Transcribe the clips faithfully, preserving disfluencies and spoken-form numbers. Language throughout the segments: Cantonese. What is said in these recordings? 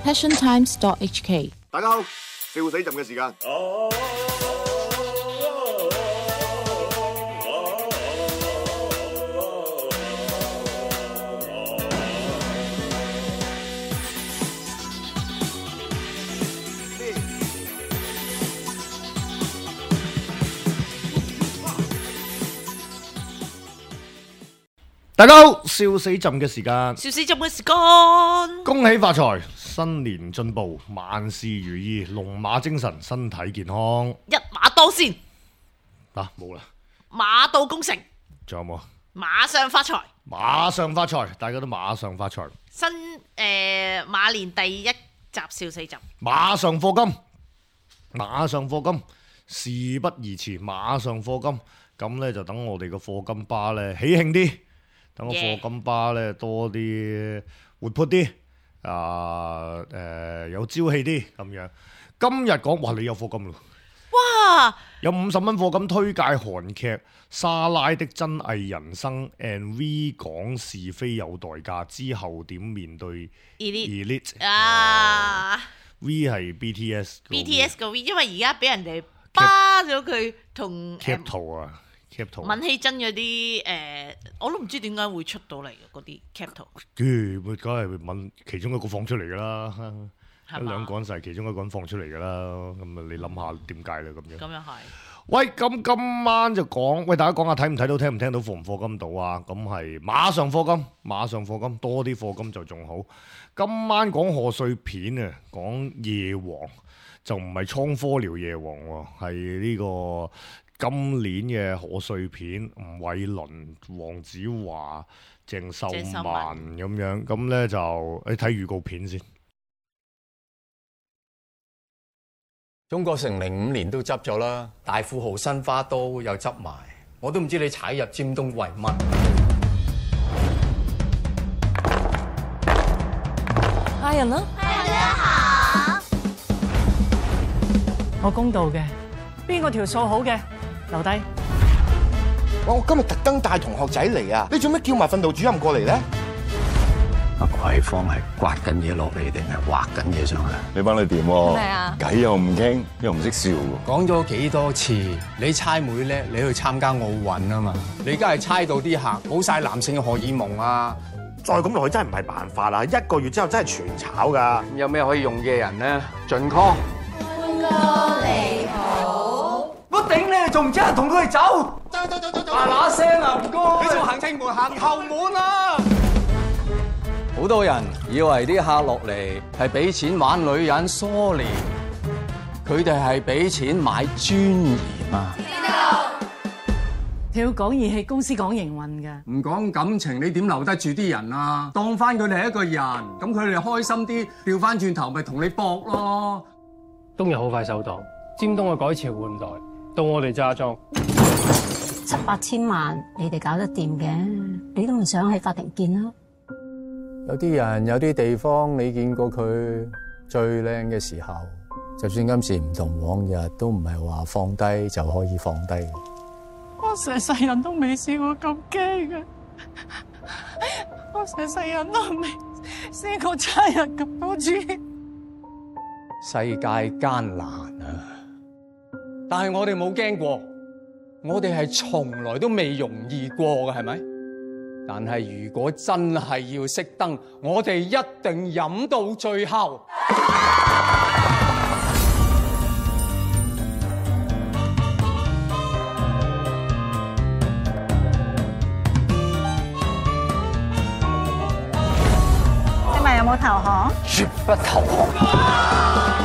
passion times dot h k。 大家好，笑死朕嘅時間。大家好，笑死朕嘅時間，笑死朕嘅時間，恭喜發財，新年進步，萬事如意，龍馬精神，身體健康。一馬當先，嗱冇啦，馬到功成，仲有冇？馬上發財，馬上發財，大家都馬上發財。新誒馬年第一集笑死朕，馬上課金，馬上課金，事不宜遲，馬上課金。咁呢就等我哋個課金巴呢喜慶啲。等個課金巴咧多啲活潑啲，啊誒、呃、有朝氣啲咁樣。今日講哇，你有課金咯！哇！有五十蚊課金推介韓劇《莎拉的真偽人生》，and V 講是非有代價，之後點面對 Elite 啊 ？V 係 B T S，B T S 個 V， 因為而家俾人哋巴咗佢同 cap 圖啊。閔希珍嗰啲誒，我都唔知點解會出到嚟嘅嗰啲 cap 圖。佢梗係問其中一個放出嚟㗎啦，一兩個人就係其中一個人放出嚟㗎啦。咁啊，你諗下點解啦咁樣？咁又係。喂，咁今晚就講，喂大家講下睇唔睇到、聽唔聽到、課唔課金到啊？咁係馬上課金，馬上課金，多啲課金就仲好。今晚講賀歲片啊，講夜王就唔係倉科遼夜王喎，係呢個。今年嘅賀歲片，吳偉倫、黃子華、鄭秀文咁樣，咁咧就你睇預告片先。中國成零五年都執咗啦，大富豪新花都又執埋，我都唔知你踩入尖東為乜。客人啦，大家好，我公道嘅，邊個條數好嘅？留低。哇！我今日特登帶同學仔嚟啊！你做咩叫埋訓導主任過嚟咧？阿葵芳係刮緊嘢落嚟定係畫緊嘢上嚟？你班你掂喎？咩啊？偈又唔傾，又唔識笑喎。講咗幾多次，你猜妹叻，你去參加奧運啊嘛！你而家係猜到啲客冇晒男性嘅荷爾蒙啊！再咁落去真係唔係辦法啦！一個月之後真係全炒㗎。有咩可以用嘅人咧？盡 call。歡哥你好。我頂你，仲唔知人同佢哋走？嗱嗱聲啊，唔該！你仲行正門行後門啊！好多人以為啲客落嚟係俾錢玩女人，sorry，佢哋係俾錢買尊嚴啊！你要講義氣，公司講營運㗎。唔講感情，你點留得住啲人啊？當翻佢哋係一個人，咁佢哋開心啲，調翻轉頭咪同你搏咯。冬日好快收檔，尖東嘅改朝換代。到我哋揸莊七八千萬，你哋搞得掂嘅，你都唔想喺法庭見啦。有啲人有啲地方，你見過佢最靚嘅時候，就算今時唔同往日，都唔係話放低就可以放低。我成世人都未試過咁驚嘅，我成世人都未試過差人咁多次。世界艱難啊！但係我哋冇驚過，我哋係從來都未容易過嘅，係咪？但係如果真係要熄燈，我哋一定飲到最後。請問有冇投降？絕不投降。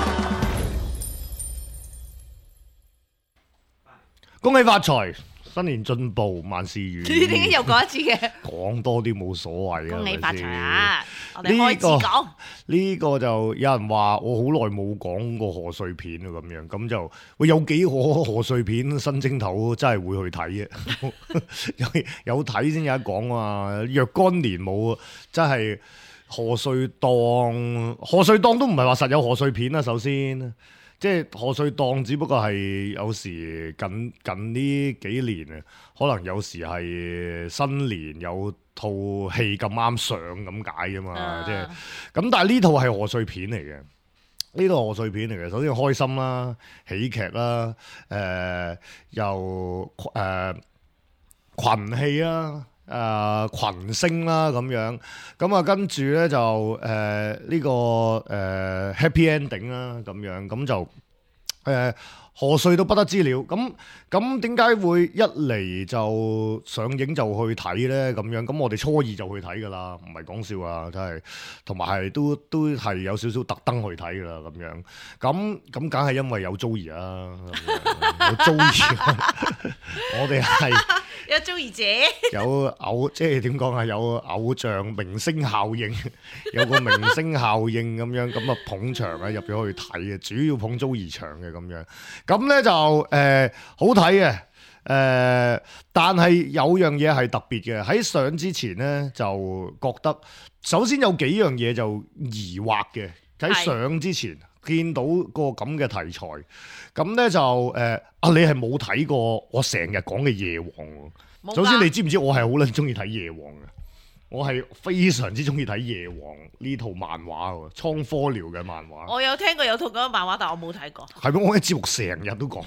恭喜發財，新年進步，萬事如意。你點解又講一次嘅？講多啲冇所謂啊！恭喜發財啊！我哋開始講呢個就有人話我好耐冇講過賀歲片啊，咁樣咁就喂有幾可賀歲片新正頭真係會去睇嘅，有有睇先有得講啊！若干年冇真係賀歲檔，賀歲檔都唔係話實有賀歲片啦，首先。即係賀歲檔，只不過係有時近近呢幾年啊，可能有時係新年有套戲咁啱上咁解啫嘛。啊、即係咁，但係呢套係賀歲片嚟嘅，呢套賀歲片嚟嘅。首先開心啦，喜劇啦，誒、呃、又誒、呃、群戲啦。誒、呃、群星啦咁樣，咁啊跟住咧就誒呢、呃這個誒、呃、happy ending 啦咁樣，咁就誒賀歲都不得之了。咁咁點解會一嚟就上映就去睇咧？咁樣咁我哋初二就去睇㗎啦，唔係講笑啊，真係，同埋係都都係有少少特登去睇㗎啦咁樣。咁咁梗係因為有 Joey 啊，有 Joey， 我哋係。有 Joey 姐，有偶即係點講啊？有偶像明星效應，有個明星效應咁樣，咁啊捧場啊入咗去睇嘅，主要捧 Joey 場嘅咁樣。咁咧就誒、呃、好睇嘅，誒、呃、但係有樣嘢係特別嘅。喺上之前咧就覺得，首先有幾樣嘢就疑惑嘅。喺上之前見到個咁嘅題材。咁咧就誒啊！你係冇睇過我成日講嘅夜王喎。首先你知唔知我係好撚中意睇夜王嘅？我係非常之中意睇夜王呢套漫畫喎，倉科遼嘅漫畫。我有聽過有套咁嘅漫畫，但我冇睇過。係咩？我喺節目成日都講，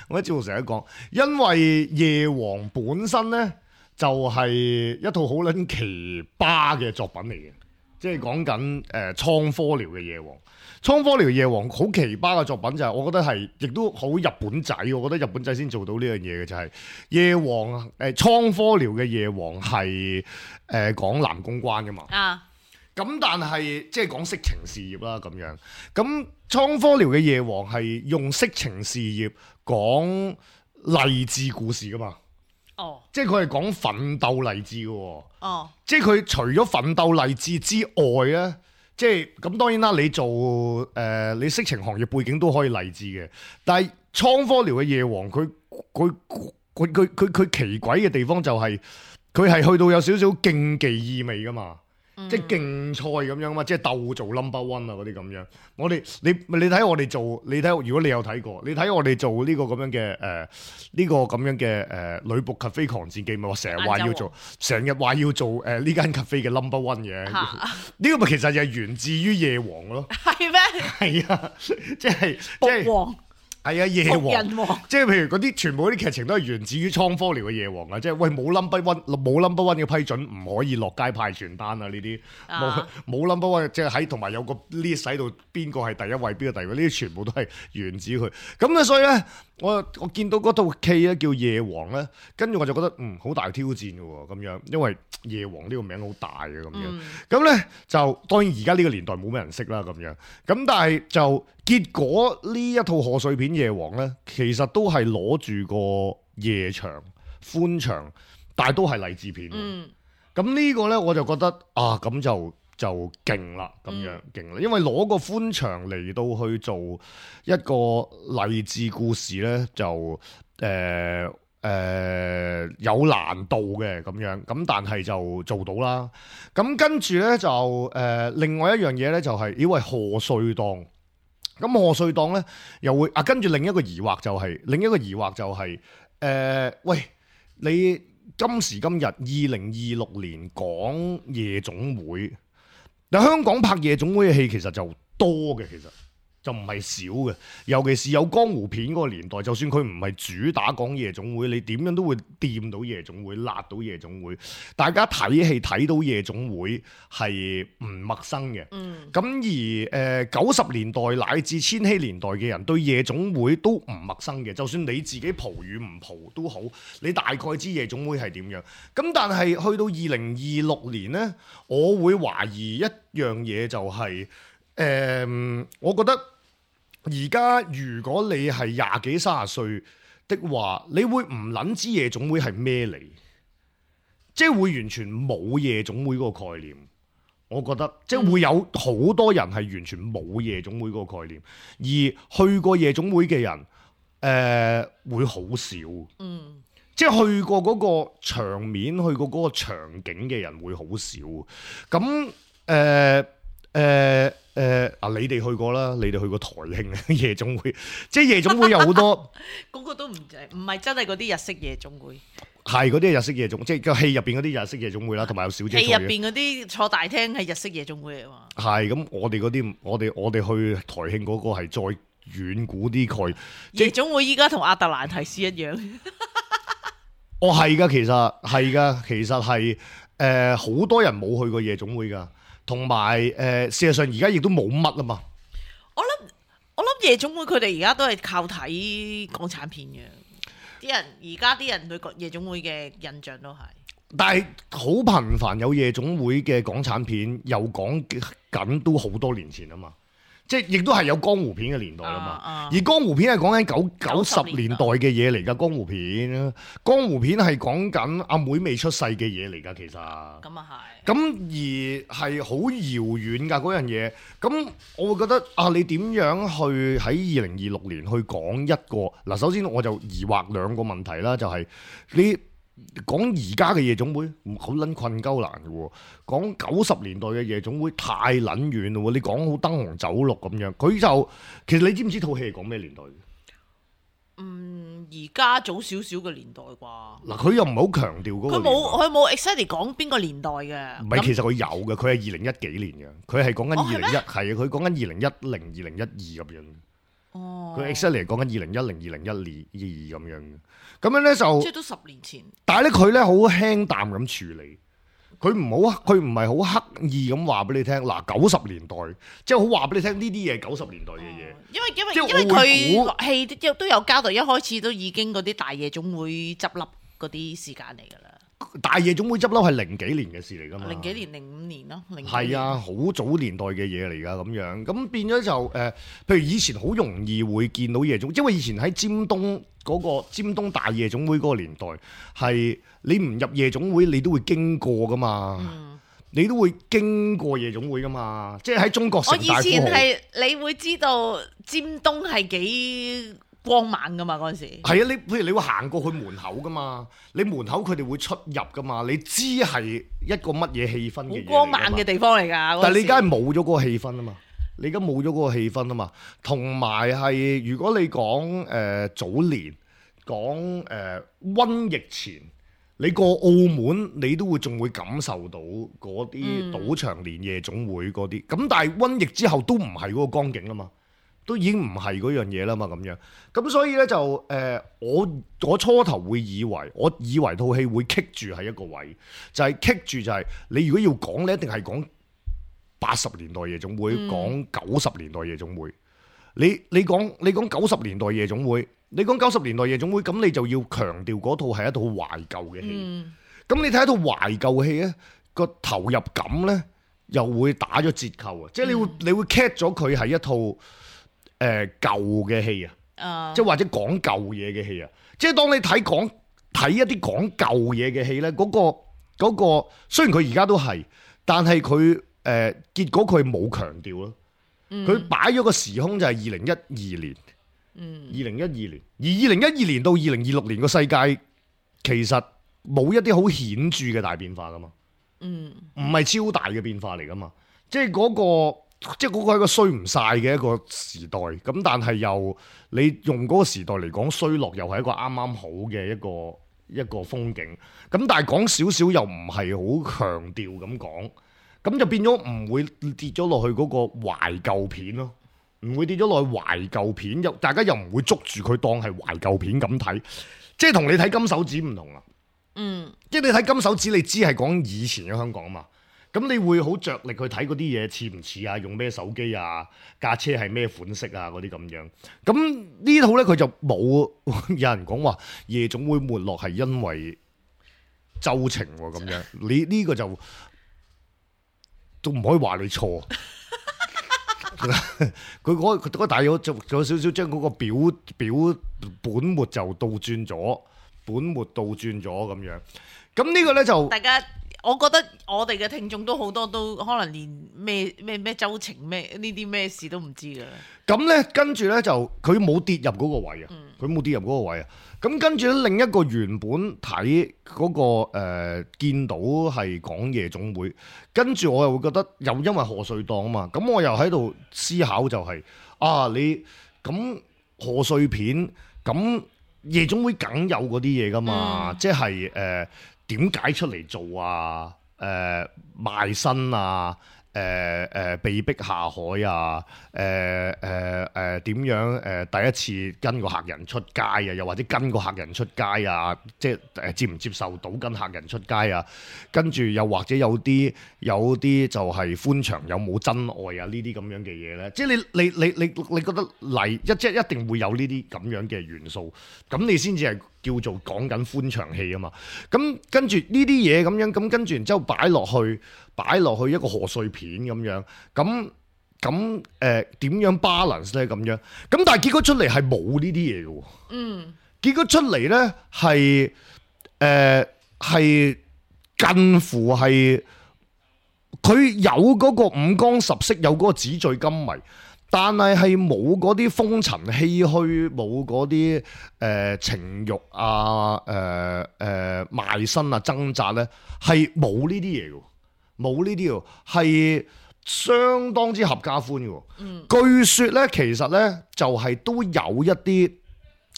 我喺節目成日都講，因為夜王本身咧就係、是、一套好撚奇葩嘅作品嚟嘅，即係講緊誒倉科遼嘅夜王。倉科遼夜王好奇葩嘅作品就係，我覺得係亦都好日本仔，我覺得日本仔先做到呢樣嘢嘅就係、是、夜王誒倉科遼嘅夜王係誒、呃、講男公關㗎嘛。啊，咁但係即係講色情事業啦咁樣。咁倉科遼嘅夜王係用色情事業講勵志故事㗎嘛。哦，即係佢係講奮鬥勵志嘅喎。哦，即係佢除咗奮鬥勵志之外咧。即係咁當然啦，你做誒、呃、你色情行業背景都可以勵志嘅，但係倉科遼嘅夜王佢佢佢佢佢佢奇詭嘅地方就係佢係去到有少少競技意味噶嘛。嗯、即係競賽咁樣嘛，即係鬥做 number one 啊嗰啲咁樣。我哋你你睇我哋做，你睇如果你有睇過，你睇我哋做呢個咁樣嘅誒呢個咁樣嘅誒女僕 cafe 狂戰記咪話成日話要做，成日話要做誒呢、呃、間 cafe 嘅 number one 嘅。呢個咪其實就係源自於夜王咯。係咩嗎？係啊，即係即係。係啊，夜王，王即係譬如嗰啲全部嗰啲劇情都係源自於倉科遼嘅夜王啊！即係喂冇 number one 冇 number one 嘅批准唔可以落街派傳單啊！呢啲冇冇 number one 即係喺同埋有個 list 喺度，邊個係第一位，邊個第二位？呢啲全部都係源自佢。咁咧，所以咧，我我見到嗰套戲咧叫夜王咧，跟住我就覺得嗯好大挑戰嘅喎咁樣，因為夜王呢個名好大嘅咁樣。咁咧、嗯、就當然而家呢個年代冇咩人識啦咁樣。咁但係就。結果呢一套賀歲片夜王呢，其實都係攞住個夜場歡場，但係都係勵志片。嗯，咁呢個呢，我就覺得啊，咁就就勁啦，咁樣勁啦，因為攞個歡場嚟到去做一個勵志故事呢，就誒誒、呃呃、有難度嘅咁樣，咁但係就做到啦。咁跟住呢，就誒、呃、另外一樣嘢呢，就係以為賀歲檔。咁賀歲檔咧又會啊，跟住另一個疑惑就係、是、另一個疑惑就係、是、誒、呃，喂，你今時今日二零二六年講夜總會，嗱香港拍夜總會嘅戲其實就多嘅，其實就唔係少嘅，尤其是有江湖片嗰個年代，就算佢唔係主打講夜總會，你點樣都會掂到夜總會，辣到夜總會，大家睇戲睇到夜總會係唔陌生嘅。嗯，咁而誒九十年代乃至千禧年代嘅人對夜總會都唔陌生嘅，就算你自己蒲與唔蒲都好，你大概知夜總會係點樣。咁但係去到二零二六年呢，我會懷疑一樣嘢就係、是、誒、呃，我覺得。而家如果你係廿幾三十歲的話，你會唔撚知夜總會係咩嚟？即係會完全冇夜總會嗰個概念。我覺得即係會有好多人係完全冇夜總會嗰個概念，而去過夜總會嘅人，誒、呃、會好少。嗯，即係去過嗰個場面、去過嗰個場景嘅人會好少。咁誒。呃誒誒啊！你哋去過啦，你哋去過台慶夜總會，即係夜總會有好多，嗰個都唔唔係真係嗰啲日式夜總會，係嗰啲係日式夜總，即係個戲入邊嗰啲日式夜總會啦，同埋有小姐戲入邊嗰啲坐大廳係日式夜總會嚟嘛。係咁，我哋嗰啲，我哋我哋去台慶嗰個係再遠古啲概夜總會依家同亞特蘭提斯一樣。哦，係噶，其實係噶，其實係誒好多人冇去過夜總會噶，同埋誒事實上而家亦都冇乜啊嘛。我諗我諗夜總會佢哋而家都係靠睇港產片嘅，啲人而家啲人對夜總會嘅印象都係。但係好頻繁有夜總會嘅港產片，又講緊都好多年前啊嘛。即係亦都係有江湖片嘅年代啦嘛，啊啊、而江湖片係講緊九九十年代嘅嘢嚟㗎，江湖片，江湖片係講緊阿妹未出世嘅嘢嚟㗎，其實。咁啊係。咁而係好遙遠㗎嗰樣嘢，咁我會覺得啊，你點樣去喺二零二六年去講一個嗱？首先我就疑惑兩個問題啦，就係、是、你。講而家嘅夜總會好撚困鳩難嘅喎，講九十年代嘅夜總會太撚遠咯喎，你講好燈紅酒綠咁樣，佢就其實你知唔知套戲係講咩年代嘅？嗯，而家早少少嘅年代啩。嗱，佢又唔係好強調嗰個。佢冇佢冇 exactly 講邊個年代嘅。唔係，其實佢有嘅，佢係二零一幾年嘅，佢係講緊二零一，係啊，佢講緊二零一零、二零一二咁樣。哦。佢 exactly 講緊二零一零、二零一二咁樣嘅。咁樣咧就，即係都十年前。但係咧佢咧好輕淡咁處理，佢唔好，佢唔係好刻意咁話俾你聽。嗱，九十年代，即係好話俾你聽呢啲嘢九十年代嘅嘢。因為因為因為佢戲都有交代，一開始都已經嗰啲大夜總會執笠嗰啲時間嚟㗎啦。大夜總會執笠係零幾年嘅事嚟㗎嘛？零幾年、零五年咯，零係啊，好早年代嘅嘢嚟㗎咁樣。咁變咗就誒、呃，譬如以前好容易會見到夜總，因為以前喺尖東。嗰個尖東大夜總會嗰個年代係你唔入夜總會，你都會經過噶嘛，嗯、你都會經過夜總會噶嘛，即係喺中國城大富豪。我以前係你會知道尖東係幾光猛噶嘛嗰陣時。係啊，你譬如你會行過去門口噶嘛，你門口佢哋會出入噶嘛，你知係一個乜嘢氣氛嘅嘢。好光猛嘅地方嚟㗎。但係你而家係冇咗嗰個氣氛啊嘛。你而家冇咗嗰個氣氛啊嘛，同埋係如果你講誒、呃、早年講誒、呃、瘟疫前，你過澳門你都會仲會感受到嗰啲賭場連夜總會嗰啲，咁、嗯、但係瘟疫之後都唔係嗰個光景啦嘛，都已經唔係嗰樣嘢啦嘛咁樣，咁所以咧就誒、呃、我我初頭會以為，我以為套戲會棘住喺一個位，就係棘住就係、是、你如果要講咧，一定係講。八十年代夜總會講九十年代夜總會，你你講你講九十年代夜總會，你講九十年代夜總會，咁你就要強調嗰套係一套懷舊嘅戲。咁、嗯、你睇一套懷舊戲咧，個投入感咧又會打咗折扣啊！嗯、即係你會你會 catch 咗佢係一套誒、呃、舊嘅戲啊，呃、即係或者講舊嘢嘅戲啊。即係當你睇講睇一啲講舊嘢嘅戲咧，嗰、嗰個嗰、嗰個雖然佢而家都係，但係佢。誒、呃、結果佢冇強調咯，佢擺咗個時空就係二零一二年，二零一二年，而二零一二年到二零二六年個世界其實冇一啲好顯著嘅大變化噶嘛，唔係超大嘅變化嚟噶嘛，即係嗰個即係嗰個係一個衰唔晒嘅一個時代，咁但係又你用嗰個時代嚟講衰落又係一個啱啱好嘅一個一個風景，咁但係講少少又唔係好強調咁講。咁就變咗唔會跌咗落去嗰個懷舊片咯，唔會跌咗落去懷舊片，又大家又唔會捉住佢當係懷舊片咁睇，即係同你睇金手指唔同啦。嗯，即係你睇金手指，你知係講以前嘅香港啊嘛，咁你會好着力去睇嗰啲嘢似唔似啊，用咩手機啊，架車係咩款式啊嗰啲咁樣。咁呢套咧佢就冇有人講話夜總會沒落係因為周情喎咁樣，你呢個就。都唔可以話你錯，佢嗰嗰個大佬就仲有少少將嗰個表表本末就倒轉咗，本末倒轉咗咁樣。咁呢個咧就大家，我覺得我哋嘅聽眾都好多都可能連咩咩咩周情咩呢啲咩事都唔知㗎。咁咧跟住咧就佢冇跌入嗰個位啊，佢冇、嗯、跌入嗰個位啊。咁跟住咧，另一個原本睇嗰、那個誒、呃、見到係講夜總會，跟住我又會覺得又因為賀歲檔啊嘛，咁我又喺度思考就係、是、啊你咁賀歲片咁夜總會梗有嗰啲嘢噶嘛，嗯、即係誒點解出嚟做啊？誒、呃、賣身啊！誒誒、呃呃、被逼下海啊！誒誒誒點樣誒、呃、第一次跟個客人出街啊？又或者跟個客人出街啊？即係誒、呃、接唔接受到跟客人出街啊？跟住又或者有啲有啲就係歡場有冇真愛啊？呢啲咁樣嘅嘢咧，即係你你你你你覺得嚟一即係一定會有呢啲咁樣嘅元素，咁你先至係叫做講緊歡場戲啊嘛。咁跟住呢啲嘢咁樣，咁跟住然之後擺落去。擺落去一個賀歲片咁樣，咁咁誒點樣 balance 咧咁樣？咁但係結果出嚟係冇呢啲嘢嘅喎。嗯，結果出嚟咧係誒係近乎係佢有嗰個五光十色，有嗰個紙醉金迷，但係係冇嗰啲風塵唏噓，冇嗰啲誒情慾啊、誒、呃、誒、呃、賣身啊、掙扎咧，係冇呢啲嘢嘅。冇呢啲喎，係相當之合家歡嘅。嗯，據說咧，其實咧就係、是、都有一啲誒、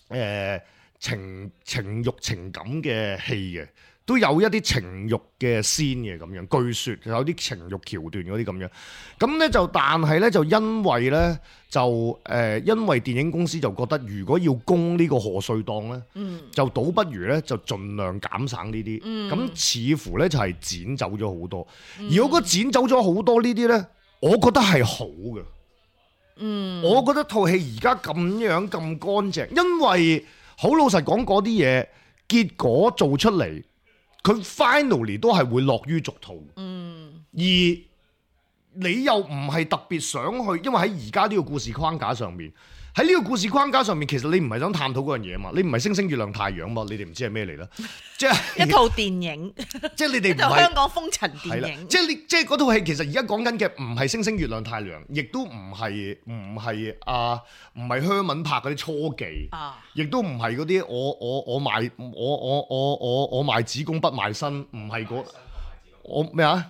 呃、情情慾情感嘅戲嘅，都有一啲情慾嘅仙嘅咁樣。據說有啲情慾橋段嗰啲咁樣。咁咧就但係咧就因為咧就誒、呃、因為電影公司就覺得如果要供呢個賀歲檔咧，嗯、就倒不如咧就盡量減省呢啲。咁、嗯、似乎咧就係剪走咗好多。嗯、而我覺得剪走咗好多呢啲咧，我覺得係好嘅。嗯，我覺得套戲而家咁樣咁乾淨，因為好老實講嗰啲嘢結果做出嚟，佢 finally 都係會落於俗套。嗯，而你又唔係特別想去，因為喺而家呢個故事框架上面，喺呢個故事框架上面，其實你唔係想探討嗰樣嘢嘛，你唔係星星月亮太陽嘛，你哋唔知係咩嚟啦，即係一套電影，即係你哋唔係香港風塵電影，即係你即係嗰套戲其實而家講緊嘅唔係星星月亮太陽，亦都唔係唔係啊唔係香文拍嗰啲初技，亦都唔係嗰啲我我我賣我我我我我賣子宮不賣身，唔係嗰我咩啊？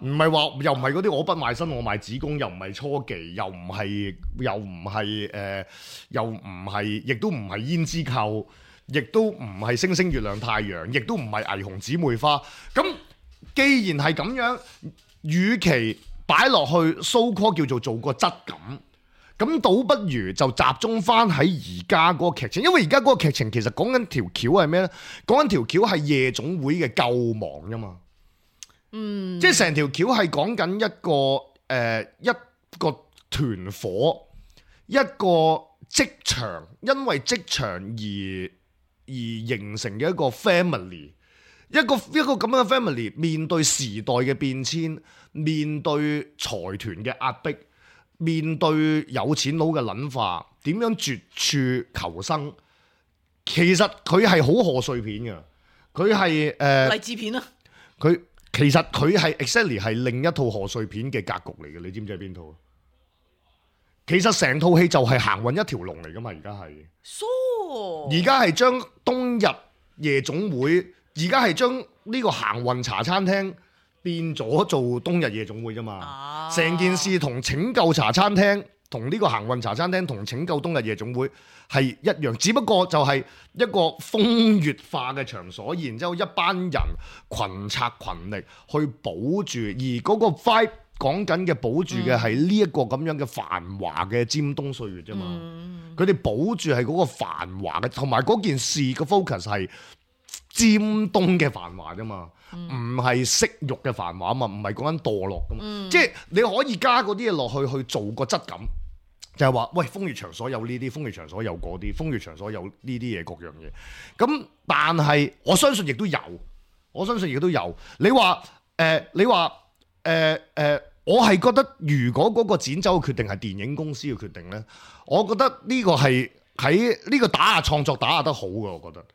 唔係話又唔係嗰啲我不賣身我賣子宮，又唔係初技，又唔係又唔係誒，又唔係，亦都唔係胭脂扣，亦都唔係星星月亮太陽，亦都唔係霓虹姊妹花。咁既然係咁樣，與其擺落去 so call 叫做做個質感，咁倒不如就集中翻喺而家嗰個劇情，因為而家嗰個劇情其實講緊條橋係咩呢？講緊條橋係夜總會嘅救亡啫嘛。嗯，即係成條橋係講緊一個誒、呃、一個團伙，一個職場，因為職場而而形成嘅一個 family， 一個一個咁樣嘅 family 面對時代嘅變遷，面對財團嘅壓迫，面對有錢佬嘅諗法，點樣絕處求生？其實佢係好賀歲片嘅，佢係誒勵志片啊，佢。其實佢係 exactly 係另一套賀歲片嘅格局嚟嘅，你知唔知係邊套？其實成套戲就係行運一條龍嚟噶嘛，而家係。而家係將冬日夜總會，而家係將呢個行運茶餐廳變咗做冬日夜總會啫嘛。成、啊、件事同拯救茶餐廳，同呢個行運茶餐廳，同拯救冬日夜總會係一樣，只不過就係一個風月化嘅場所，然之後一班人群策群力去保住，而嗰個 vibe 講緊嘅保住嘅係呢一個咁樣嘅繁華嘅尖東歲月啫嘛。佢哋、嗯、保住係嗰個繁華嘅，同埋嗰件事嘅 focus 係尖東嘅繁華啫嘛，唔係色慾嘅繁華啊嘛，唔係講緊墮落噶嘛。嗯、即係你可以加嗰啲嘢落去去做個質感。就係話，喂，風月場所有呢啲，風月場所有嗰啲，風月場所有呢啲嘢，各樣嘢。咁但係我相信亦都有，我相信亦都有。你話誒、呃，你話誒誒，我係覺得如果嗰個剪走嘅決定係電影公司嘅決定咧，我覺得呢個係喺呢個打壓創作打壓得好嘅，我覺得。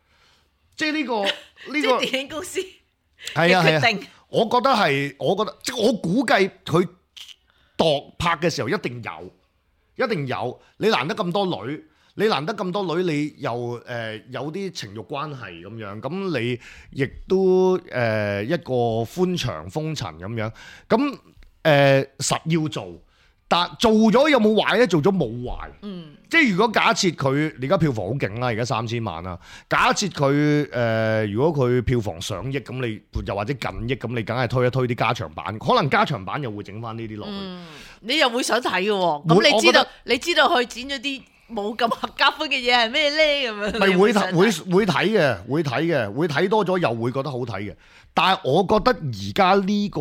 即係呢、呢個呢、呢個電影公司係啊係啊，我覺得係，我覺得即係我估計佢度拍嘅時候一定有。一定有，你難得咁多女，你難得咁多女，你又誒、呃、有啲情慾關係咁樣，咁你亦都誒、呃、一個歡場風塵咁樣，咁誒、呃、實要做，但做咗有冇壞咧？做咗冇壞，嗯，即係如果假設佢而家票房好勁啦，而家三千萬啦，假設佢誒、呃、如果佢票房上億咁，你又或者近億咁，你梗係推一推啲加長版，可能加長版又會整翻呢啲落去、嗯，你又會想睇嘅喎，咁你知道你知道佢剪咗啲冇咁合家歡嘅嘢係咩咧？咁樣咪會睇會會睇嘅，會睇嘅，會睇多咗又會覺得好睇嘅。但係我覺得而家呢個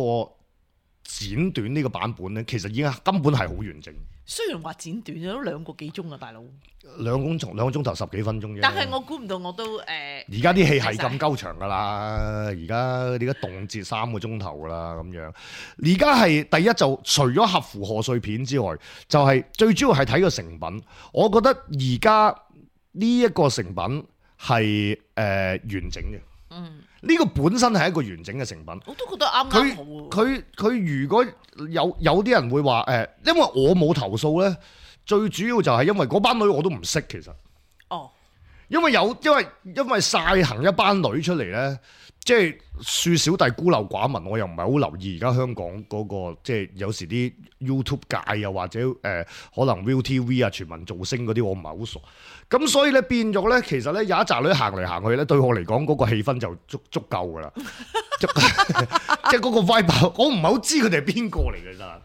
剪短呢個版本咧，其實已經根本係好完整。雖然話剪短咗都兩個幾鐘啊，大佬。兩個鐘兩個鐘頭十幾分鐘啫。但係我估唔到我都誒。而家啲戲係咁鳩長㗎啦，而家而家動輒三個鐘頭㗎啦咁樣。而家係第一就除咗合乎賀歲片之外，就係、是、最主要係睇個成品。我覺得而家呢一個成品係誒、呃、完整嘅。嗯。呢個本身係一個完整嘅成品，我都覺得啱啱好。佢佢如果有有啲人會話誒，因為我冇投訴咧，最主要就係因為嗰班女我都唔識其實。哦，因為有因為因為曬行一班女出嚟咧，即係恕小弟孤陋寡聞，我又唔係好留意而家香港嗰、嗰個即係有時啲 YouTube 界又或者誒、呃、可能 ViuTV 啊全民造星嗰啲我唔係好熟。咁所以咧變咗咧，其實咧有一紮女行嚟行去咧，對我嚟講嗰個氣氛就足足夠噶啦，即係嗰個 vibe， 我唔係好知佢哋係邊個嚟嘅咋，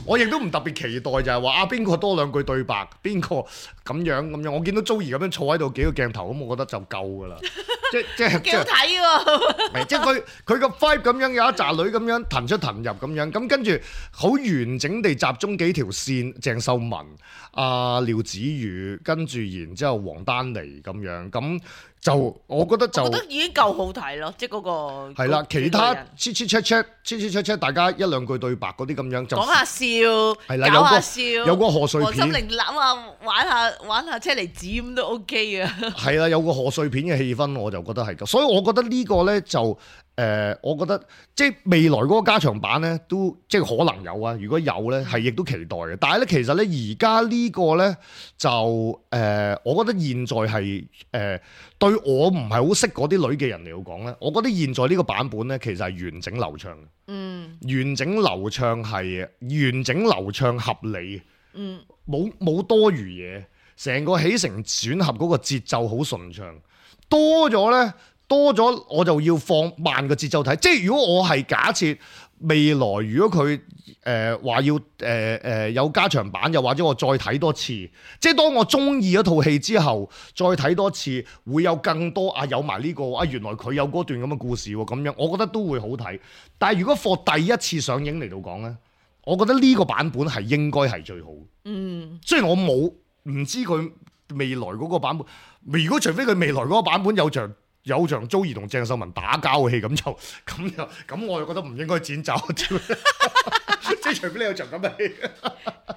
我亦都唔特別期待就係話啊邊個多兩句對白，邊個咁樣咁樣，我見到 Joey 咁樣坐喺度幾個鏡頭咁，我覺得就夠噶啦，即即係幾好睇喎，即係佢佢個 vibe 咁樣有一紮女咁樣騰出騰入咁樣，咁跟住好完整地集中幾條線，鄭秀文。阿、呃、廖子妤跟住然之後黃丹妮咁樣，咁就我覺得就我覺得已經夠好睇咯，即係嗰個係啦，其他 check check check check check check check 大家一兩句對白嗰啲咁樣就講下笑，係啦，搞下笑，有個賀歲片，黃心凌攬下玩下玩下車厘子咁都 OK 啊，係啦，有個賀歲片嘅氣氛我就覺得係咁，所以我覺得呢個咧就。誒、呃，我覺得即係未來嗰個加長版咧，都即係可能有啊。如果有咧，係亦都期待嘅。但係咧，其實咧，而家呢個咧就誒、呃，我覺得現在係誒、呃、對我唔係好識嗰啲女嘅人嚟講咧，我覺得現在呢個版本咧，其實係完整流暢嘅。嗯，完整流暢係完整流暢合理。嗯，冇冇多餘嘢，成個起承轉合嗰個節奏好順暢，多咗咧。多咗我就要放慢個節奏睇，即係如果我係假設未來如果佢誒話要誒誒、呃呃、有加長版，又或者我再睇多次，即係當我中意一套戲之後，再睇多次會有更多啊有埋呢、呢個啊原來佢有嗰段咁嘅故事喎，咁樣我覺得都會好睇。但係如果放第一次上映嚟到講咧，我覺得呢個版本係應該係最好。嗯，雖然我冇唔知佢未來嗰個版本，如果除非佢未來嗰個版本有場。有場 Joey 同鄭秀文打交嘅戲，咁就咁就咁，我就覺得唔應該剪走。即係除非你有場咁嘅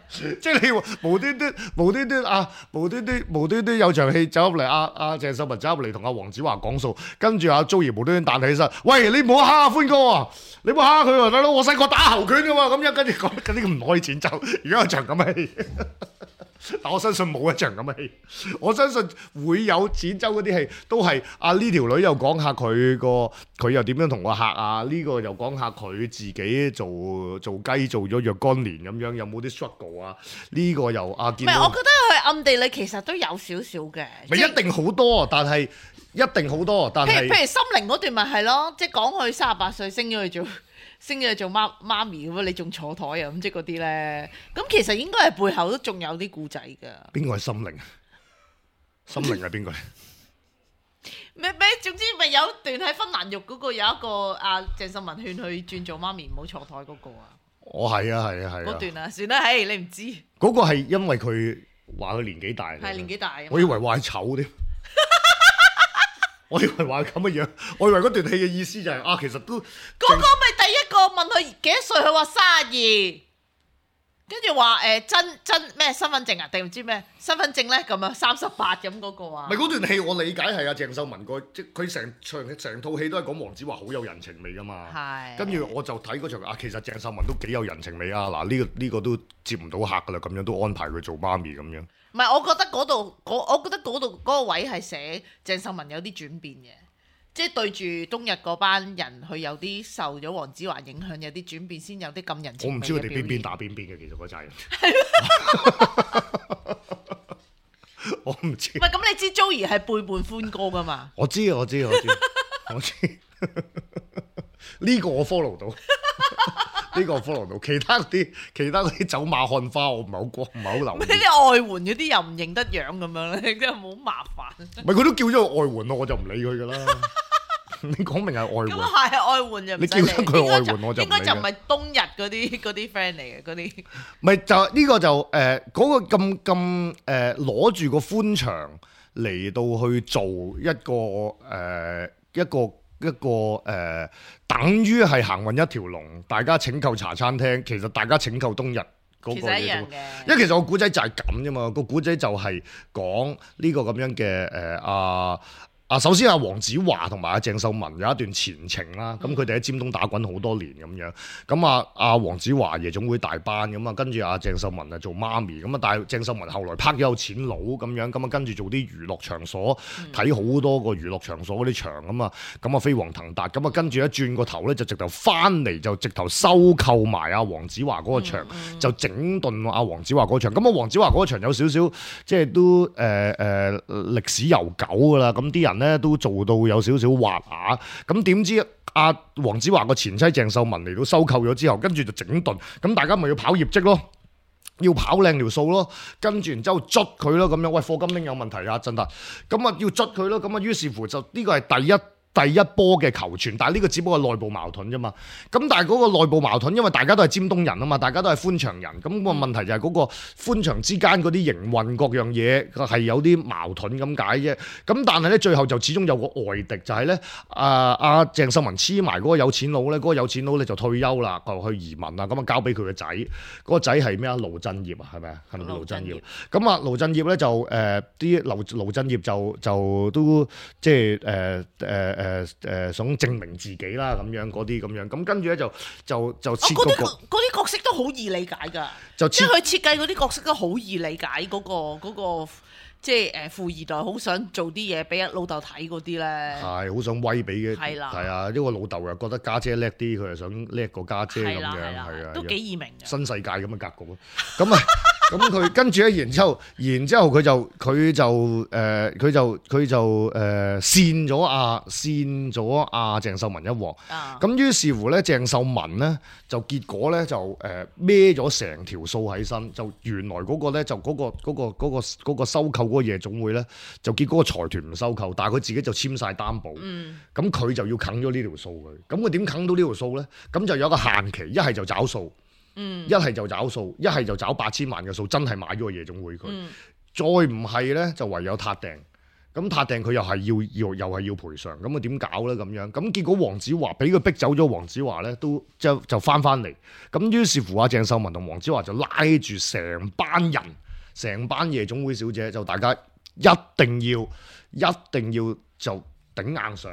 戲，即係你無端端無端端啊無端端無端端有場戲走入嚟，阿阿鄭秀文走入嚟同阿黃子華講數，跟住阿 Joey 無端端彈起身，喂，你唔好蝦阿歡哥啊！你唔好蝦佢啊，大佬，我細個打猴拳㗎嘛，咁樣跟住講嗰啲唔可以剪走。而家有場咁嘅戲。但我相信冇一場咁嘅戲，我相信會有剪走嗰啲戲，都係啊呢條女又講下佢個佢又點樣同個客啊，呢、這個又講下佢自己做做雞做咗若干年咁樣，有冇啲 struggle 啊？呢、這個又啊見到，唔係，我覺得佢暗地裏其實都有少少嘅，咪一定好多，但係一定好多，但係譬如譬如心靈嗰段咪係咯，即係講佢三十八歲升咗去做。升咗做媽媽咪咁啊！你仲坐台啊咁即係嗰啲咧，咁其實應該係背後都仲有啲故仔㗎。邊個係心靈？心靈係邊個咧？咩咩？總之咪有段喺芬蘭浴嗰個有一個阿鄭秀文勸佢轉做媽咪唔好坐台嗰個啊。哦，係啊，係啊，係啊。嗰段啊，算啦，唉，你唔知。嗰個係因為佢話佢年紀大。係年紀大。我以為話係醜添。我以為話咁嘅樣，我以為嗰段戲嘅意思就係、是、啊，其實都嗰個咪第一個問佢幾多歲，佢話卅二，跟住話誒真真咩身份證啊，定唔知咩身份證咧咁啊，三十八咁嗰個啊。咪嗰段戲我理解係阿鄭秀文個，即佢成場成套戲都係講黃子華好有人情味噶嘛。係。跟住我就睇嗰場啊，其實鄭秀文都幾有人情味啊！嗱、呢個，呢個呢個都接唔到客噶啦，咁樣都安排佢做媽咪咁樣。唔係，我覺得嗰度我覺得嗰度嗰個位係寫鄭秀文有啲轉變嘅。即係對住冬日嗰班人，佢有啲受咗黃子華影響，有啲轉變，先有啲咁人情味嘅表現。我唔知佢哋邊邊打邊邊嘅，其實嗰扎人。我唔知。唔係咁，你知 Joey 係背叛歡哥噶嘛？我知我知我知我知。呢個我 follow 到，呢個我 follow 到。其他嗰啲其他嗰啲走馬看花，我唔係好過，唔係好留意。呢啲外援嗰啲又唔認得樣咁樣咧，真係好麻煩。唔係佢都叫咗佢外援咯，我就唔理佢噶啦。你講明係外援，咁啊係外援就唔你叫得佢外援我就應該就唔係冬日嗰啲嗰啲 friend 嚟嘅嗰啲。唔係就呢個就誒嗰、呃嗰個咁咁誒攞住個寬場嚟到去做一個誒、呃、一個一個誒、呃，等於係行運一條龍，大家拯救茶餐廳，其實大家拯救冬日。嗰個嘢都，因為其實個古仔就係咁啫嘛，個古仔就係講呢個咁樣嘅誒阿啊，首先阿黃子華同埋阿鄭秀文有一段前程啦，咁佢哋喺尖東打滾好多年咁樣，咁啊阿黃子華夜總會大班咁啊，跟住阿鄭秀文啊做媽咪，咁啊但係鄭秀文後來拍咗有錢佬咁樣，咁啊跟住做啲娛樂場所，睇好、嗯、多個娛樂場所嗰啲場咁啊，咁啊飛黃騰達，咁啊跟住一轉個頭咧就直頭翻嚟就直頭收購埋阿黃子華嗰個場，嗯嗯、就整頓阿黃子華嗰場，咁啊黃子華嗰場有少少即係都誒誒、呃呃、歷史悠久㗎啦，咁啲人咧都做到有少少滑牙，咁點知阿黃子華個前妻鄭秀文嚟到收購咗之後，跟住就整頓，咁大家咪要跑業績咯，要跑靚條數咯，跟住然之後捽佢咯，咁樣喂課金拎有問題啊，真係，咁啊要捽佢咯，咁啊於是乎就呢個係第一。第一波嘅求存，但係呢個只不過係內部矛盾啫嘛。咁但係嗰個內部矛盾，因為大家都係尖東人啊嘛，大家都係寬場人。咁、那個問題就係嗰個寬場之間嗰啲營運各樣嘢係有啲矛盾咁解啫。咁但係咧，最後就始終有個外敵，就係、是、咧，啊阿鄭秀文黐埋嗰個有錢佬咧，嗰、那個有錢佬咧就退休啦，就去移民啦，咁啊交俾佢個仔。嗰、那個仔係咩啊？盧振業啊，係咪啊？係咪盧振業？咁啊，盧振業咧就誒啲盧盧振業就就都即係誒誒誒。呃呃誒誒想證明自己啦，咁樣嗰啲咁樣，咁跟住咧就就就設嗰個嗰啲角色都好易理解㗎，就即係佢設計嗰啲角色都好易理解嗰個嗰個即係誒富二代好想做啲嘢俾老豆睇嗰啲咧，係好想威俾嘅，係啦，係啊，因為老豆又覺得家姐叻啲，佢又想叻過家姐咁樣，係啊，都幾易明嘅新世界咁嘅格局咯，咁啊。咁佢跟住咧，然之後，然之後佢就佢就誒，佢、呃、就佢就誒扇咗阿扇咗阿鄭秀文一鑊。咁、啊、於是乎咧，鄭秀文咧就結果咧就誒孭咗成條數喺身，就原來嗰個咧就嗰、嗰個嗰、嗰個嗰、嗰個嗰個嗰個收購嗰個夜總會咧，就結果個財團唔收購，但係佢自己就簽晒擔保。咁佢、嗯、就要啃咗呢條數佢。咁佢點啃到呢條數咧？咁就有一個限期，一係就找數。一係、嗯、就找數，一係就找八千萬嘅數，真係買咗個夜總會佢。嗯、再唔係咧，就唯有撻訂。咁撻訂佢又係要要又係要賠償。咁啊點搞咧？咁樣咁結果黃子華俾佢逼走咗，黃子華咧都就就翻翻嚟。咁於是乎阿鄭秀文同黃子華就拉住成班人，成班夜總會小姐，就大家一定要一定要就頂硬上，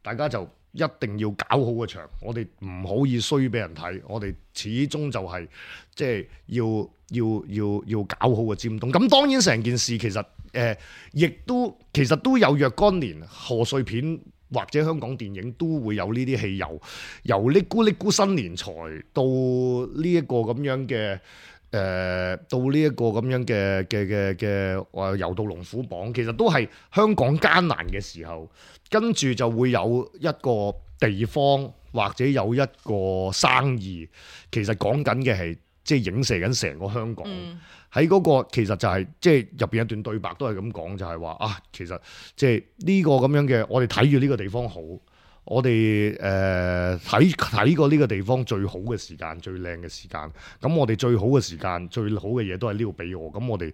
大家就。一定要搞好個場，我哋唔可以衰俾人睇，我哋始終就係即係要要要要搞好個尖東。咁當然成件事其實誒，亦、呃、都其實都有若干年賀歲片或者香港電影都會有呢啲戲，由由呢咕哩咕新年財到呢一個咁樣嘅。誒、呃、到呢一個咁樣嘅嘅嘅嘅話遊到龍虎榜，其實都係香港艱難嘅時候，跟住就會有一個地方或者有一個生意，其實講緊嘅係即係影射緊成個香港。喺嗰、嗯、個其實就係即係入邊一段對白都係咁講，就係、是、話啊，其實即係呢個咁樣嘅，我哋睇住呢個地方好。我哋誒睇睇過呢個地方最好嘅時間，最靚嘅時間。咁我哋最好嘅時間，最好嘅嘢都係呢度俾我。咁我哋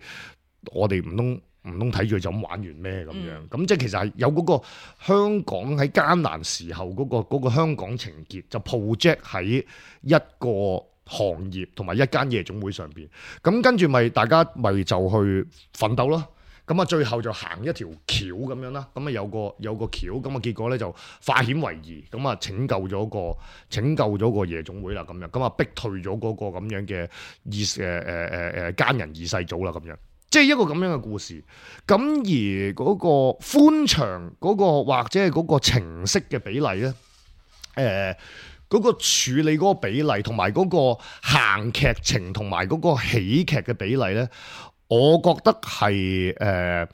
我哋唔通唔通睇住就咁玩完咩咁樣？咁、嗯、即係其實係有嗰個香港喺艱難時候嗰、嗰個嗰個香港情結，就 project 喺一個行業同埋一間夜總會上邊。咁跟住咪大家咪就去奮鬥咯。咁啊，最後就行一條橋咁樣啦。咁啊有個有個橋，咁啊結果咧就化險為夷，咁啊拯救咗個拯救咗個夜總會啦。咁樣咁啊逼退咗嗰個咁樣嘅二誒誒誒誒奸人二世祖啦。咁樣即係一個咁樣嘅故事。咁而嗰個寬長嗰個或者係嗰個情色嘅比例咧，誒、呃、嗰、嗰個處理嗰個比例同埋嗰個行劇情同埋嗰個喜劇嘅比例咧。我覺得係誒、呃，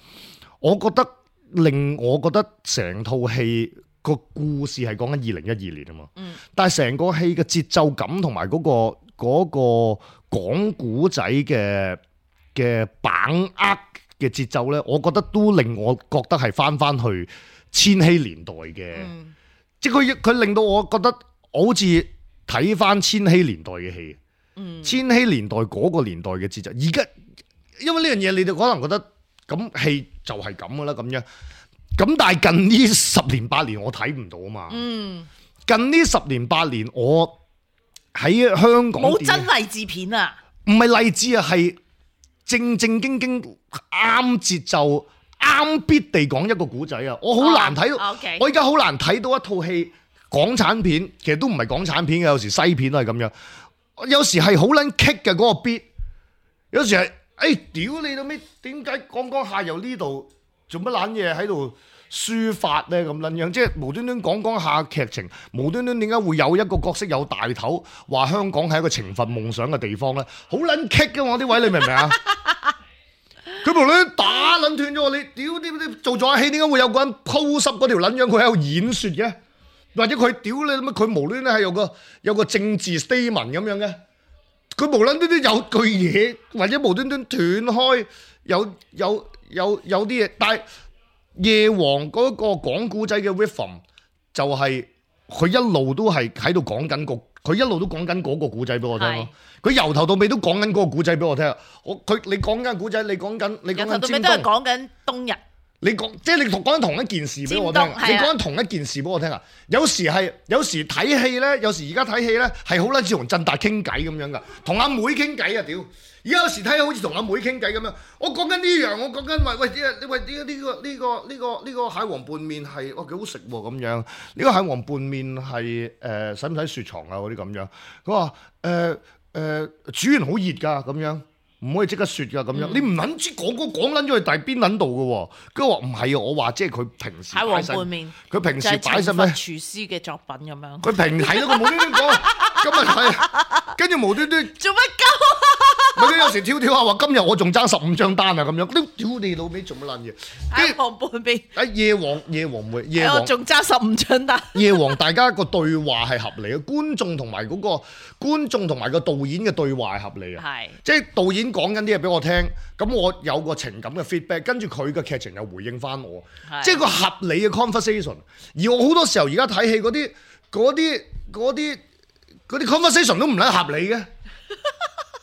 我覺得令我覺得成套戲個故事係講緊二零一二年啊嘛，嗯、但係成個戲嘅節奏感同埋嗰個嗰、嗰個講古仔嘅嘅把握嘅節奏咧，我覺得都令我覺得係翻翻去千禧年代嘅，嗯、即係佢佢令到我覺得好似睇翻千禧年代嘅戲，嗯、千禧年代嗰個年代嘅節奏，而家。因為呢樣嘢，你哋可能覺得咁戲就係咁噶啦，咁樣咁，但係近呢十年八年我睇唔到啊嘛。嗯，近呢十年八年我喺香港冇真勵志片啊，唔係勵志啊，係正正經經啱節奏啱必地講一個古仔啊。我好難睇到，哦 okay、我而家好難睇到一套戲港產片，其實都唔係港產片嘅，有時西片都係咁樣，有時係好撚棘嘅嗰個 beat，有時係。哎，屌你到尾，點解講講下由呢度做乜撚嘢喺度抒發咧咁撚樣？即係無端端講講下劇情，無端端點解會有一個角色有大頭，話香港係一個情份夢想嘅地方咧？好撚棘嘅我啲位，你明唔明啊？佢無端端打撚斷咗我，你屌點點做咗下戲，點解會有個人鋪濕嗰條撚樣？佢喺度演説嘅，或者佢屌你乜？佢無端端係有個有個政治 statement 咁樣嘅。佢無端端都有句嘢，或者無端端斷開，有有有有啲嘢。但係夜王嗰個講古仔嘅 rhythm 就係佢一路都係喺度講緊個，佢一路都講緊嗰個古仔俾我聽咯。佢由頭到尾都講緊嗰個古仔俾我聽。我佢你講緊古仔，你講緊你講緊由頭到尾都係講緊冬日。你講即係你講緊同一件事俾我聽，你講緊同一件事俾我聽啊！有時係有時睇戲咧，有時而家睇戲咧係好撚似同振達傾偈咁樣噶，同阿妹傾偈啊屌！而家有時睇好似同阿妹傾偈咁樣，我講緊呢樣，我講緊話喂啲喂啲呢個呢個呢個呢個蟹黃拌麵係哇幾好食喎咁樣，呢個蟹黃拌麵係誒使唔使雪藏啊嗰啲咁樣？佢話誒誒煮完好熱㗎咁樣。唔可以即刻雪㗎咁樣，嗯、你唔撚知講講講撚咗去第邊撚度嘅喎？跟住話唔係啊，我話即係佢平時擺晒，佢平時擺晒咩？廚師嘅作品咁樣。佢平係咯，佢無端端講，今日係跟住無端端做乜鳩？咪佢有時跳跳下話，今日我仲爭十五張單啊咁樣，都屌你老味做乜撚嘢？喺旁半邊。喺夜王夜王會夜王仲爭十五張單。夜王大家個對話係合理嘅，觀眾同埋嗰個觀眾同埋個導演嘅對話係合理嘅，係即係導演講緊啲嘢俾我聽，咁我有個情感嘅 feedback， 跟住佢嘅劇情又回應翻我，即係個合理嘅 conversation。而我好多時候而家睇戲嗰啲嗰啲嗰啲嗰啲 conversation 都唔撚合理嘅。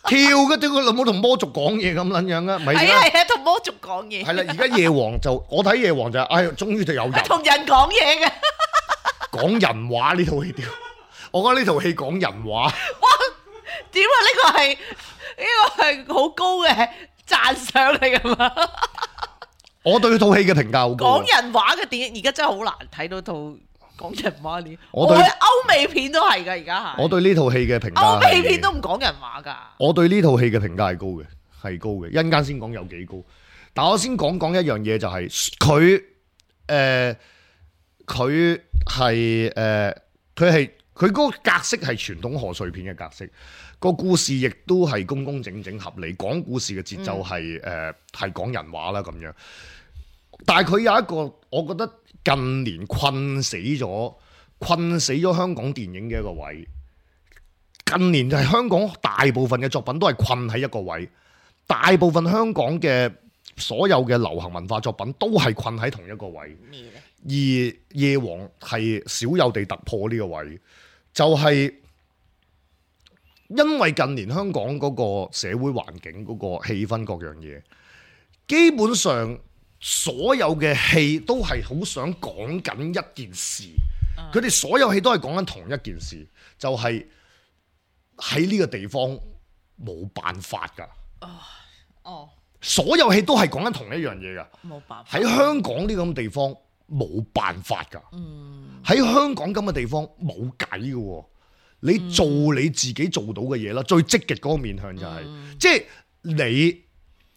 跳嘅屌佢老母同魔族講嘢咁撚樣啊！咪係啊係啊，同魔族講嘢。係啦，而家夜王就我睇夜王就係，哎，終於就有人同人講嘢嘅，講人話呢套戲屌！我覺得呢套戲講人話。哇！點啊？呢個係呢個係好高嘅讚賞嚟㗎嘛？我對套戲嘅評價好高。講人話嘅電影而家真係好難睇到套。講人話呢？我對歐美片都係㗎，而家係。我對呢套戲嘅評價，歐美片都唔講人話㗎。我對呢套戲嘅評價係高嘅，係高嘅。一陣間先講有幾高，但我先講講一樣嘢，就係佢誒，佢係誒，佢係佢嗰個格式係傳統賀歲片嘅格式，個故事亦都係工工整整合理，講故事嘅節奏係誒係講人話啦咁樣。但係佢有一個，我覺得近年困死咗、困死咗香港電影嘅一個位。近年就係香港大部分嘅作品都係困喺一個位，大部分香港嘅所有嘅流行文化作品都係困喺同一個位。而夜王係少有地突破呢個位，就係、是、因為近年香港嗰個社會環境、嗰、嗰個氣氛各樣嘢，基本上。所有嘅戲都係好想講緊一件事，佢哋、嗯、所有戲都係講緊同一件事，就係、是、喺呢個地方冇辦法㗎。哦哦，所有戲都係講緊同一樣嘢㗎。冇辦法。喺香港呢咁嘅地方冇辦法㗎。嗯。喺香港咁嘅地方冇計㗎喎。你做你自己做到嘅嘢啦，最積極嗰個面向就係、是，嗯、即係你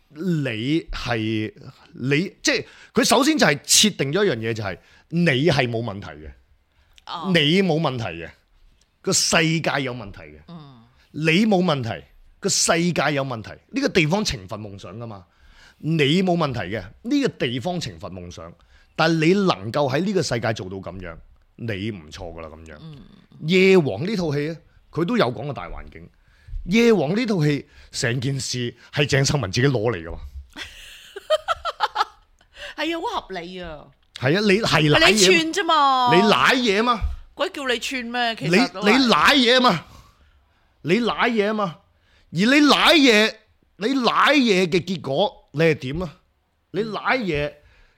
你係你即係佢首先就係設定咗一樣嘢，就係你係冇問題嘅，哦、你冇問題嘅，個世界有問題嘅，嗯、你冇問題，個世界有問題，呢、呢個地方懲罰夢想噶嘛，你冇問題嘅，呢、呢個地方懲罰夢想，但係你能夠喺呢個世界做到咁樣，你唔錯噶啦咁樣。嗯夜王呢套戲咧，佢都有講個大環境。夜王呢套戲成件事係鄭秀文自己攞嚟噶嘛？係啊，好合理啊。係啊，你係賴嘢，你串啫嘛？你賴嘢啊嘛？鬼叫你串咩？其實你你賴嘢啊嘛？你賴嘢啊嘛？而你賴嘢，你賴嘢嘅結果你係點啊？你賴嘢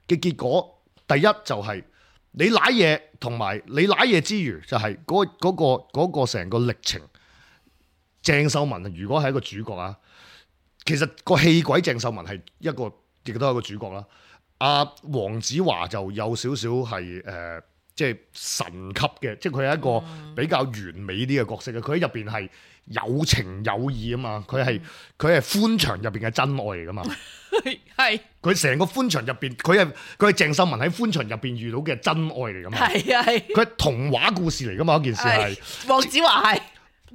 嘅結果，第一就係、是。你舐嘢同埋你舐嘢之餘，就係嗰嗰個嗰個成個歷程。鄭秀文如果係一個主角啊，其實個戲鬼鄭秀文係一個亦都係一個主角啦。阿黃子華就有少少係誒，即係神級嘅，即係佢係一個比較完美啲嘅角色嘅。佢喺入邊係有情有義啊嘛，佢係佢係歡場入邊嘅真愛嚟噶嘛。係佢成個歡場入邊，佢係佢係鄭秀文喺歡場入邊遇到嘅真愛嚟噶嘛？係啊係，佢係童話故事嚟噶嘛？嗰件事係黃子華係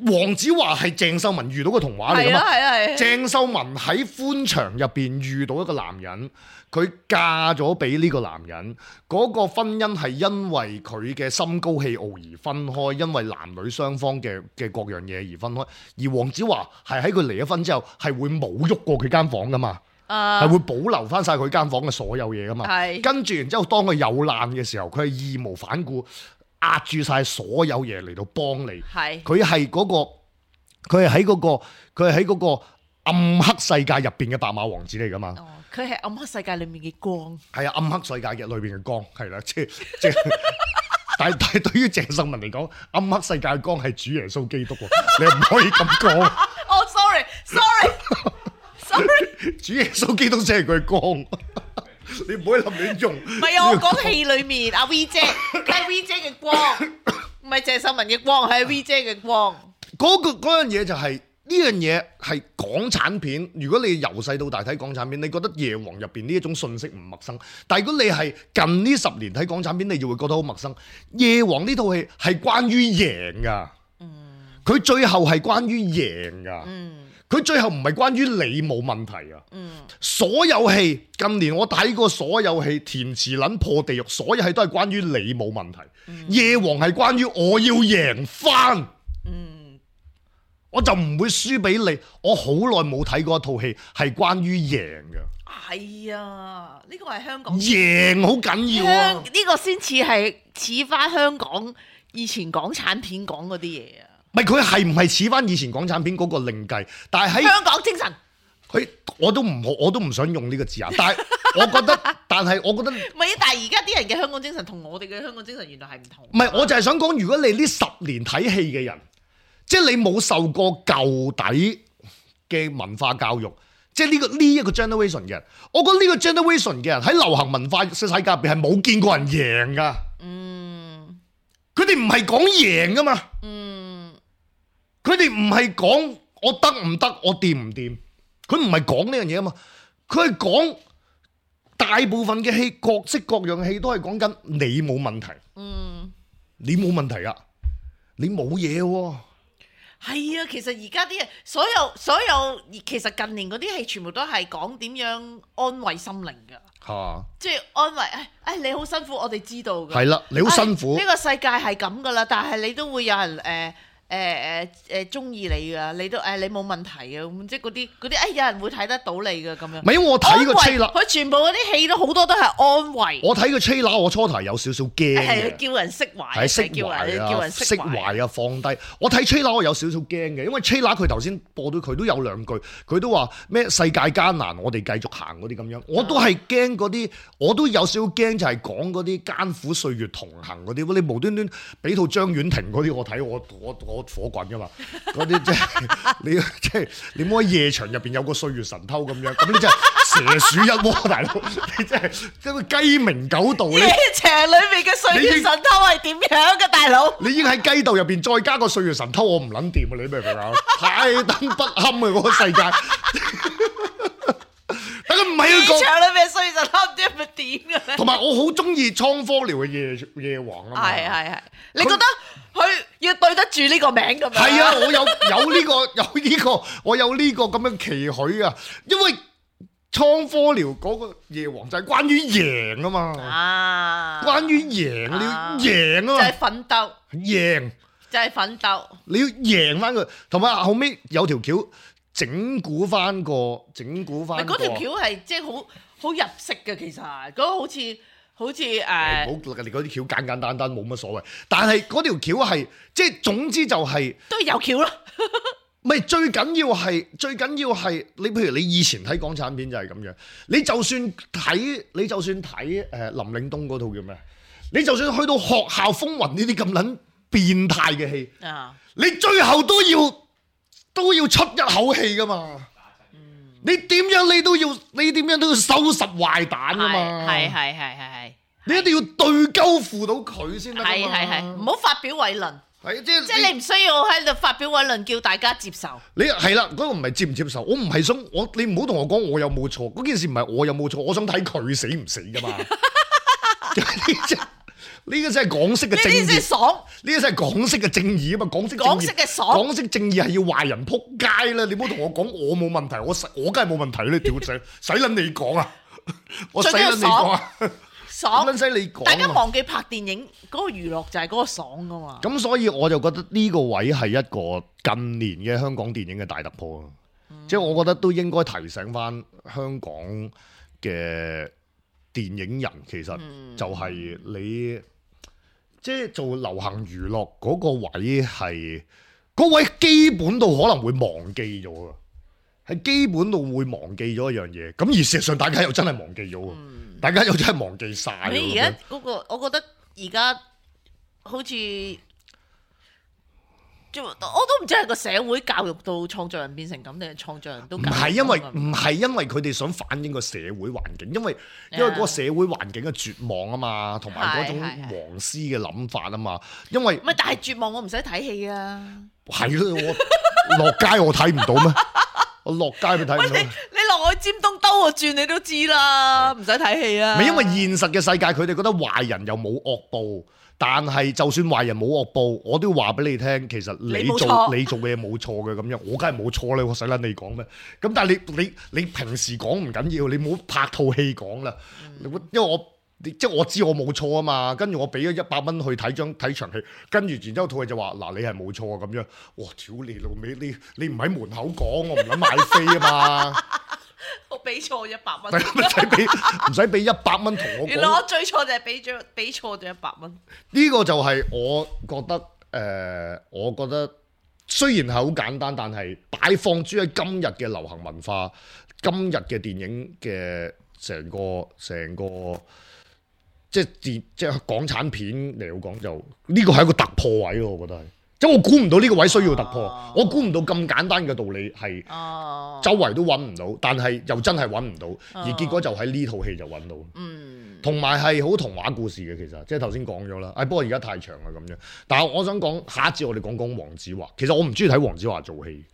黃子華係鄭秀文遇到嘅童話嚟噶嘛？係啊係啊，鄭秀文喺歡場入邊遇到一個男人，佢嫁咗俾呢個男人，嗰、嗰個婚姻係因為佢嘅心高氣傲而分開，因為男女雙方嘅嘅各樣嘢而分開。而黃子華係喺佢離咗婚之後，係會冇喐過佢間房噶嘛？係、uh, 會保留翻晒佢間房嘅所有嘢噶嘛？係跟住然之後，當佢有難嘅時候，佢係義無反顧壓住晒所有嘢嚟到幫你。係佢係嗰個，佢係喺嗰個，佢係喺嗰個暗黑世界入邊嘅白馬王子嚟噶嘛？哦，佢係暗黑世界裏面嘅光。係啊，暗黑世界嘅裏邊嘅光係啦，即係即係。但係但係對於鄭秀文嚟講，暗黑世界嘅光係主耶穌基督喎，你唔可以咁講。哦，sorry，sorry。主耶穌基督先係佢光，你唔可以立亂用。唔係啊，我講戲裏面阿 V 姐，係 V 姐嘅光，唔係鄭秀文嘅光，係 V 姐嘅光。嗰、嗰個嗰樣嘢就係、是、呢樣嘢係港產片。如果你由細到大睇港產片，你覺得夜王入邊呢一種信息唔陌生。但係如果你係近呢十年睇港產片，你就會覺得好陌生。夜王呢套戲係關於贏噶，佢、嗯、最後係關於贏噶。嗯佢最後唔係關於你冇問題啊！嗯、所有戲近年我睇過所有戲，填詞撚破地獄，所有戲都係關於你冇問題。嗯、夜王係關於我要贏翻，嗯、我就唔會輸俾你。我好耐冇睇過一套戲係關於贏嘅。係啊，呢個係香港贏好緊要啊！呢個先似係似翻香港以前港產片講嗰啲嘢啊！唔係佢係唔係似翻以前港產片嗰個另計，但係喺香港精神，佢我都唔我都唔想用呢個字眼，但係我覺得，但係我覺得唔係，但係而家啲人嘅香港精神同我哋嘅香港精神原來係唔同。唔係，我就係想講，如果你呢十年睇戲嘅人，即係你冇受過舊底嘅文化教育，即係呢個呢一個 generation 嘅人，我覺得呢個 generation 嘅人喺流行文化世界入邊係冇見過人贏噶。嗯，佢哋唔係講贏噶嘛。嗯。佢哋唔係講我得唔得，我掂唔掂，佢唔係講呢樣嘢啊嘛，佢係講大部分嘅戲，各式各樣嘅戲都係講緊你冇問題，嗯，你冇問題啊，你冇嘢喎，係啊，其實而家啲人所有所有，其實近年嗰啲戲全部都係講點樣安慰心靈噶，吓、啊，即係安慰，誒、哎、誒，你好辛苦，我哋知道噶，係啦，你好辛苦，呢、哎這個世界係咁噶啦，但係你都會有人誒。呃誒誒誒中意你噶，你都誒、哎、你冇問題嘅，咁即係嗰啲嗰啲誒有人會睇得到你嘅咁樣。唔係，我睇個 trailer，佢全部嗰啲戲都好多都係安慰。我睇個 trailer，我初頭有少少驚嘅。係叫人釋懷，係釋懷啊，叫人釋懷啊，放低。我睇 trailer 我有少少驚嘅，因為 trailer 佢頭先播到佢都有兩句，佢都話咩世界艱難，我哋繼續行嗰啲咁樣。我都係驚嗰啲，我都有少少驚就係講嗰啲艱苦歲月同行嗰啲。你無端端俾套張婉婷嗰啲我睇，我我我。火棍噶嘛，嗰啲即係你即係你冇喺夜場入邊有個歲月神偷咁樣，咁你真係蛇鼠一窩，大佬你真係即係雞鳴狗盜。夜場裏面嘅歲月神偷係點樣嘅，大佬？你已經喺雞竇入邊再加個歲月神偷，我唔撚掂啊！你明唔明啊？太燈不堪啊！嗰個世界。但佢唔係一個夜場裏面歲月神偷唔知係咪點嘅咧？同埋我好中意倉科寮嘅夜夜王啊嘛。係係係，你覺得佢要對得住呢個名咁樣？係啊，我有有呢個有呢個，我有呢個咁樣期許啊，因為倉科寮嗰個夜王就係關於贏啊嘛。啊，關於贏，你要贏啊嘛，就係奮鬥，贏就係奮鬥，你要贏翻佢，同埋後尾有條橋。整蠱翻個，整蠱翻個。嗰條橋係即係好好入式嘅，其實嗰個好似好似誒。好，你嗰啲橋簡簡單單冇乜所謂，但係嗰條橋係即係總之就係、是、都有橋咯。唔係最緊要係最緊要係你，譬如你以前睇港產片就係咁樣，你就算睇你就算睇誒林嶺東嗰套叫咩？你就算去到學校風雲呢啲咁撚變態嘅戲，啊、你最後都要。都要出一口氣噶嘛，嗯、你點樣你都要，你點樣都要收拾壞蛋噶嘛，係係係係係，你一定要對鳩付到佢先得嘛，係係係，唔好發表偉論，係即係即係你唔需要喺度發表偉論叫大家接受。你係啦，嗰、嗰個唔係接唔接受，我唔係想我你唔好同我講我有冇錯，嗰件事唔係我有冇錯，我想睇佢死唔死噶嘛。呢個真係港式嘅正義，呢啲先爽。呢個真係港式嘅正義啊嘛，港式港式嘅爽，港式正義係要壞人撲街啦！你唔好同我講我冇問題，我我梗係冇問題啦！屌仔，使撚你講啊！我使撚你講啊！爽撚使你講。大家忘記拍電影嗰個娛樂就係嗰個爽噶嘛。咁所以我就覺得呢個位係一個近年嘅香港電影嘅大突破啊！即係、嗯、我覺得都應該提醒翻香港嘅電影人，其實就係你。即係做流行娛樂嗰個位係嗰位基本到可能會忘記咗啊，係基本到會忘記咗一樣嘢。咁而事實上大家又真係忘記咗，嗯、大家又真係忘記晒。你而家嗰個，我覺得而家好似。我都唔知係個社會教育到創作人變成咁，定係創作人都唔係因為唔係因為佢哋想反映個社會環境，因為因為嗰個社會環境嘅絕望啊嘛，同埋嗰種黃絲嘅諗法啊嘛，因為唔係，但係絕望我唔使睇戲啊，係咯，我落街我睇唔到咩？我落街咪睇唔到。你你落去尖東兜個轉你都知啦，唔使睇戲啊。唔係因為現實嘅世界，佢哋覺得壞人又冇惡報。但係就算壞人冇惡報，我都要話俾你聽，其實你做你做嘅嘢冇錯嘅咁樣，我梗係冇錯啦，我使撚你講咩？咁但係你你你平時講唔緊要，你唔好拍套戲講啦，嗯、因為我即係我知我冇錯啊嘛，跟住我俾咗一百蚊去睇張睇場戲，跟住然之後套戲就話嗱你係冇錯啊咁樣，哇屌你老味，你你唔喺門口講，我唔諗買飛啊嘛。我俾錯一百蚊，唔使俾唔使俾一百蚊同我講。原來我最錯就係俾咗俾錯咗一百蚊。呢個就係我覺得誒、呃，我覺得雖然係好簡單，但係擺放諸喺今日嘅流行文化、今日嘅電影嘅成個成個即係電即係港產片嚟講，就呢個係一個突破位咯，我覺得係。即我估唔到呢個位需要突破，啊、我估唔到咁簡單嘅道理係周圍都揾唔到，但係又真係揾唔到，啊、而結果就喺呢套戲就揾到。嗯，同埋係好童話故事嘅，其實即係頭先講咗啦。誒，不過而家太長啦咁樣。但係我想講下一節，我哋講講黃子華。其實我唔中意睇黃子華做戲，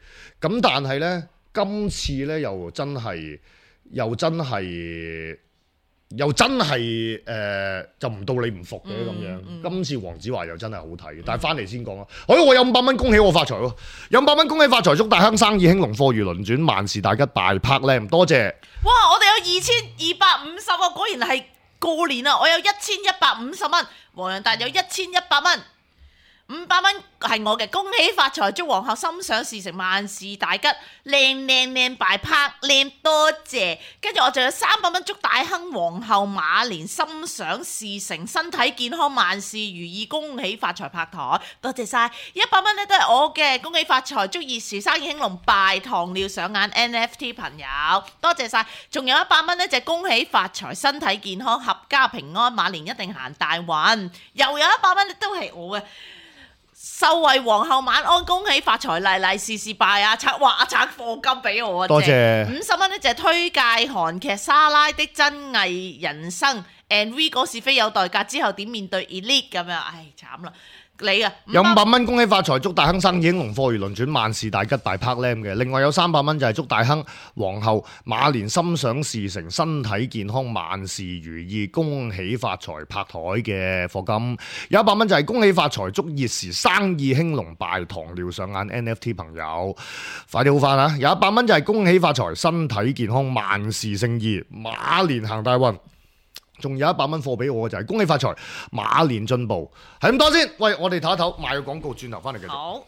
咁但係呢，今次呢又真係又真係。又真係誒、呃，就唔到你唔服嘅咁樣。嗯嗯、今次黃子華又真係好睇，嗯、但係翻嚟先講啊！哎，我有五百蚊，恭喜我發財喎！有五百蚊，恭喜發財，祝大亨生意興隆，貨如輪轉，萬事大吉，大拍靚，多謝！哇！我哋有二千二百五十啊，果然係過年啊！我有一千一百五十蚊，黃洋達有一千一百蚊。五百蚊係我嘅，恭喜發財，祝皇后心想事成，萬事大吉，靚靚靚擺拍靚，多謝。跟住我仲有三百蚊，祝大亨皇后馬年心想事成，身體健康，萬事如意，恭喜發財拍台，多謝晒。一百蚊咧都係我嘅，恭喜發財，祝二時生意興隆，拜糖尿上眼 N F T 朋友，多謝晒。仲有一百蚊咧就係恭喜發財，身體健康，合家平安，馬年一定行大運。又有一百蚊都係我嘅。秀惠皇后晚安，恭喜發財，利利是是拜啊！拆哇拆課金俾我啊！多謝五十蚊呢就係推介韓劇《莎拉的真偽人生》，and we 嗰是非有代價之後點面對 Elite 咁樣，唉慘啦！你啊，有五百蚊恭喜發財，祝大亨生意興隆，貨如輪轉，萬事大吉大拍 lam 嘅。另外有三百蚊就係祝大亨皇后馬年心想事成，身體健康，萬事如意，恭喜發財拍台嘅課金。有一百蚊就係恭喜發財，祝熱時生意興隆，敗糖尿上眼 N F T 朋友快啲好返啊！有一百蚊就係恭喜發財，身體健康，萬事勝意，馬年行大運。仲有一百蚊貨俾我嘅就係恭喜發財，馬年進步，係咁多先。喂，我哋唞一唞，賣個廣告，轉頭翻嚟繼續。好。